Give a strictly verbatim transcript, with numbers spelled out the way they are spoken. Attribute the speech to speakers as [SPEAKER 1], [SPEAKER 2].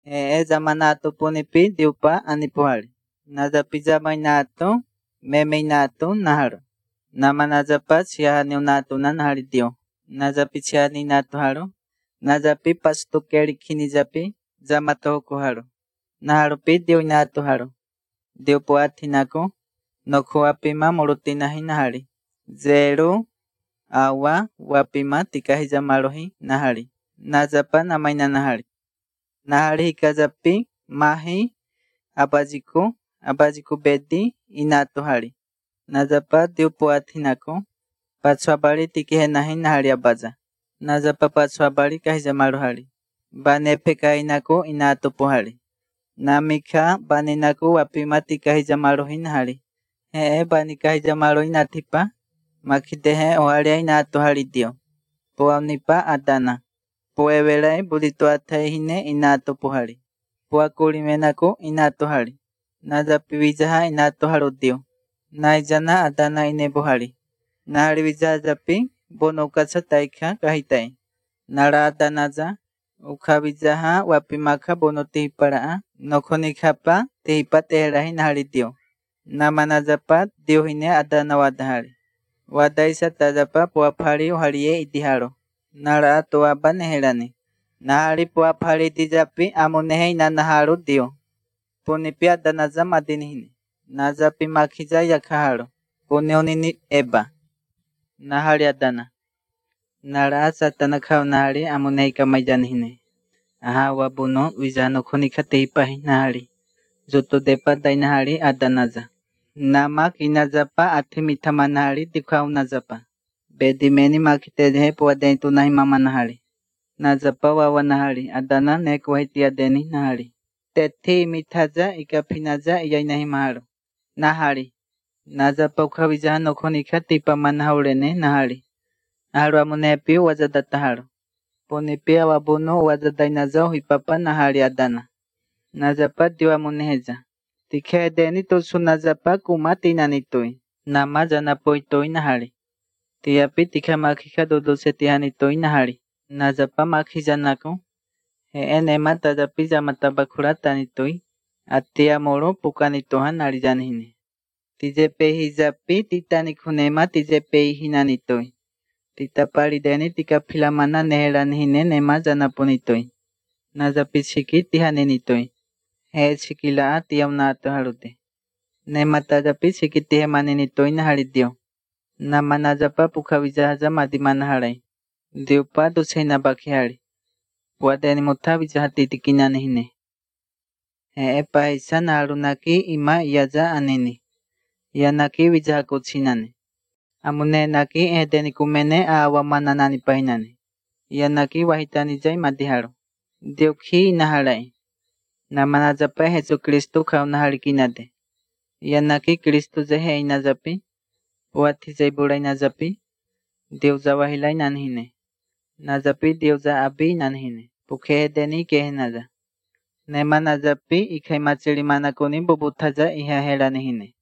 [SPEAKER 1] E zamanato punipi diupa anipuhari. Nazapi zamainato memeinato naharo. Namanazapa chiahani unato nanahari dio. Nazapi chiahani nato haro. Nazapi pastukeri kinizapi zamato kuharo. Naharopi dio inato haro. Dio puatinako nokuapima morutinahi nahari. Zero awa wapima tikahizamarohi nahari. Nazapa namaina nahari. Nahari hikazapi mahi abajiku abajiku bedi inato hari. Nazapa dio puatinako pachuabari tikihenahi nahari abaza. Nazapa pachuabari kahizamarohari. Banepe kainako inato pohari. Namika baninako wapima tikahizamarohi nahari. Hee bani kahizamarohi natipa makidehe oharia inato hari dio. Puaunipa adana. Puevelai burito ataihine inato pohari. Puakurimenako inato hari. Nazapi vijaha inato haro dio. Naijana adana ine bohari. Nahari vijahazapi bonokasa taika kahitai. Nara adanaza ukha vijaha wapimaka bono tihiparaa. Nokonikapa tihipa teherahi nahari dio. Namanazapa dio hine adana wadahari. Wadaisa tazapa puapari oharie idiharo. Nara atoaba neherani. Nahari puapari dijapi amunehe inanaharo dio. Punipi adanaza madinihine. Nazapi makiza yakaharo. Puneonini eba. Nahari adana. Nara satana kao nahari amunehe kamajanihine. Aha wabuno vijano konika tehipahi nahari. Zoto depa dainahari adanaza. Namak inazapa atimitama nahari dikau nazapa. Bedimeni makitehe puadentu nahi mama nahari. Nazapa wawa nahari. Adana nekuhiti adeni nahari. Teti mitaza ikapinaza iyainahi maharo. Nahari. Nazapa ukawijaha nokonika tipa manahaurene nahari. Naharo amunepi wazadataharo. Punipi awabuno wazadainaza uhipapa nahari adana. Nazapa diwa muneheza. Tikhe deni tosu nazapa kumati nanitoi. Nama zanapoitoi nahari. Tiapi tikha makika dodo setihanitoi nahari. Nazapa makizanako. He enema tazapi zamatabakura tanitoi. Atia moro pukanitoha narijanihine. Tijepe hizapi titanikunema tijepe hinanitoi. Titapari deni tikapilamana neheranihine nema zanaponitoi. Nazapi shiki tihanenitoi. He shikila atiaunato harute. Nema tazapi shiki tihemanenitoi nahari dio. Nama nazapa pukawijahaza madimana harai. Diupa dosena bakihari. Wadeni mutawijaha titikinanihine. He epa hisa naharunaki ima yaza anini. Yanaki wijaha kochinane. Amune naki edeni kumene awamana nani pahinane. Yanaki wahitani jai madiharo. Diokhi naharai. Nama nazapa Jesu Kristo kao nahari kinade. Yanaki Kristo zehe inazapi. Wati zaibura inazapi. Deuza wahila nanhine. Nazapi deuza abi nanhine. Pukhe edeni kehe naza. Nema nazapi ikai matsili manakoni bubutaza iha hela nihine.